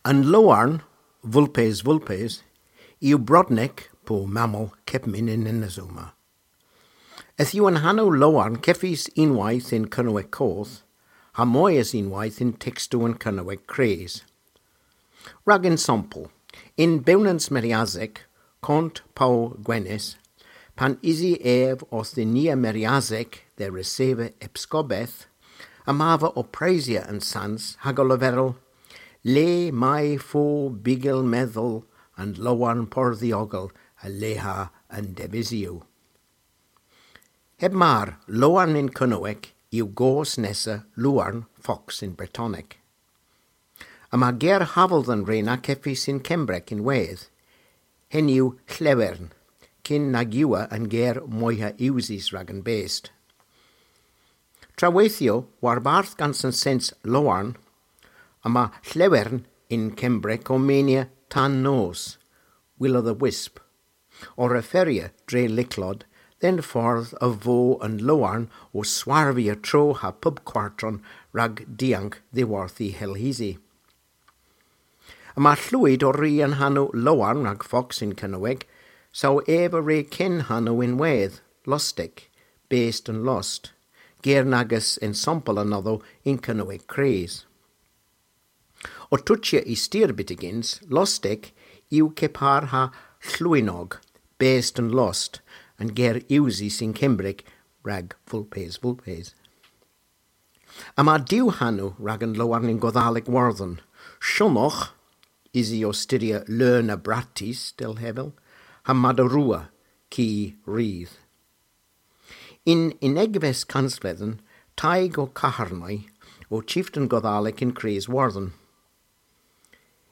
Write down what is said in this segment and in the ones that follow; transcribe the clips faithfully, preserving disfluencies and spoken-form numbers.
An lowarn, Vulpes vulpes, yw brodnek po mammel kepmyn yn Enys Ama. Yth yw an hanow lowarn kevys unnweyth yn Kernewek Koth, ha moy es unnweyth yn tekstow an Kernewek Kres. Rag ensampel, yn Bewnans Meriasek, Kont Pow Gwenys, pan usi ev orth dinya Meriasek dhe reseva epskopeth, yma ev ow presya an sans hag ow leverel, le may fo bygel medhel an lowarn pordhiogel a leha an devisyow. Heb mar, lowarn yn Kernewek yw goos nessa lowarn, fox yn Bretonek. Yma ger haval dhe'n re na kevys yn Kembrek ynwedh. Henn yw lhewern, kyn nag yw an ger moyha usys rag an best. Traweythyow, warbarth gans an sens lowarn, yma lhewern yn Kembrek ow menia tan nos, will o' the wisp, ow referya dre lycklod dhe'n fordh a vo an lowarn ow swarvya tro ha pub kwartron rag diank dhiworth y hylhes hi. Yma llwyd ow ri an hanow lowarn rag fox yn Kernewek, saw ev a re ken hanow ynwedh, lostek, best an lost, ger nag eus ensampel anodho yn Kernewek Kres. Ow tochya y styr byttegyns, lostek yw kepar ha llwynog, best an lost, an ger usys yn Kembrek rag vulpes vulpes. Yma diw hanow rag an lowarn yn Godhalek Wordhen, Shonogh, usi ow styrya leun a brattis, dell hevel, ha Madarua, ki rudh. Yn unnegves kansvledhen, Teg ow Kaherni o chiften Godhalek yn Kres Wordhen.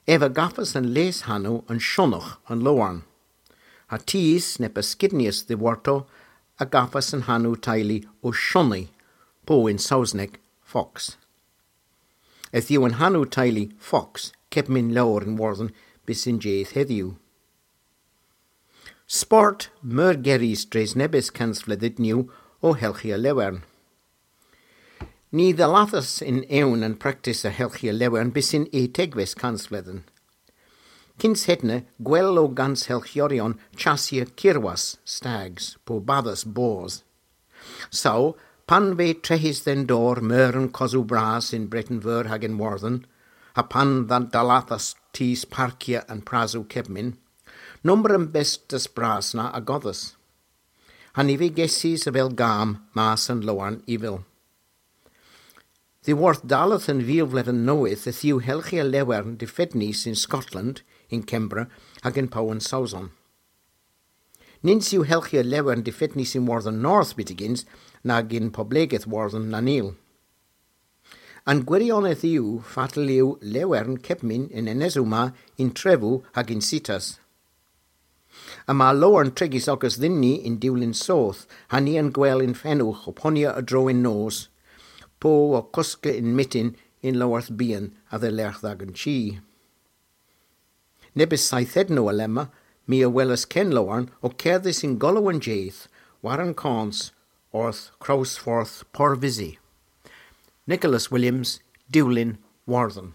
Ev a gavas an les hanow an Shonogh an lowarn. Ha tus neb a skidnyas dhiworto a gavas an hanow teylu O'Shoni, po yn Sowsnek, fox. Yth yw an hanow teylu fox kepmyn lowr yn Wordhen bys y'n jydh hedhyw. Sport meurgerys dres nebes kansvledhynnyow o helghya lewern. Ny dhallathas yn ewn an praktis a helghya lewern bys y'n etegves kansvledhen. Kyns hedna, gwell o gans helghyoryon chassya kirwas, stags, po badhas boos. Saw, pan veu trehys dhe'n dor meur an kosow bras yn Breten Veur hag yn Wordhen, ha pan dha-, dhallathas tus parkya an prasow kepmyn, nomber an bestes bras na a godhas. Ha ny veu gesys avel gam mas an lowarn ivil. Dhiworth dalleth an vil vledhen nowydh yth yw helghya lewern difednys yn Skotland, yn Kembra, hag yn Pow an Sowson. Nyns yw helghya lewern difednys yn Wordhen North byttegyns nag yn poblegeth Wordhen Nanil. An gwirionedh yw fatel yw lewern kepmyn yn Enys Ama yn trevow hag yn sitas. Yma lowarn trigys ogas dhyn ni yn diwlin soth, ha ni a'n gwel yn fenowgh ow ponya a-dro yn nos, po ow koska yn myttin yn lowarth byhan a-dhelergh dh'agan chi. Nebes seythednow alemma, my a welas ken lowarn ow kerdhes yn golow an jydh, war an kons, orth krowsfordh Porvizy. Nicholas Williams, Diwlin, Wordhen.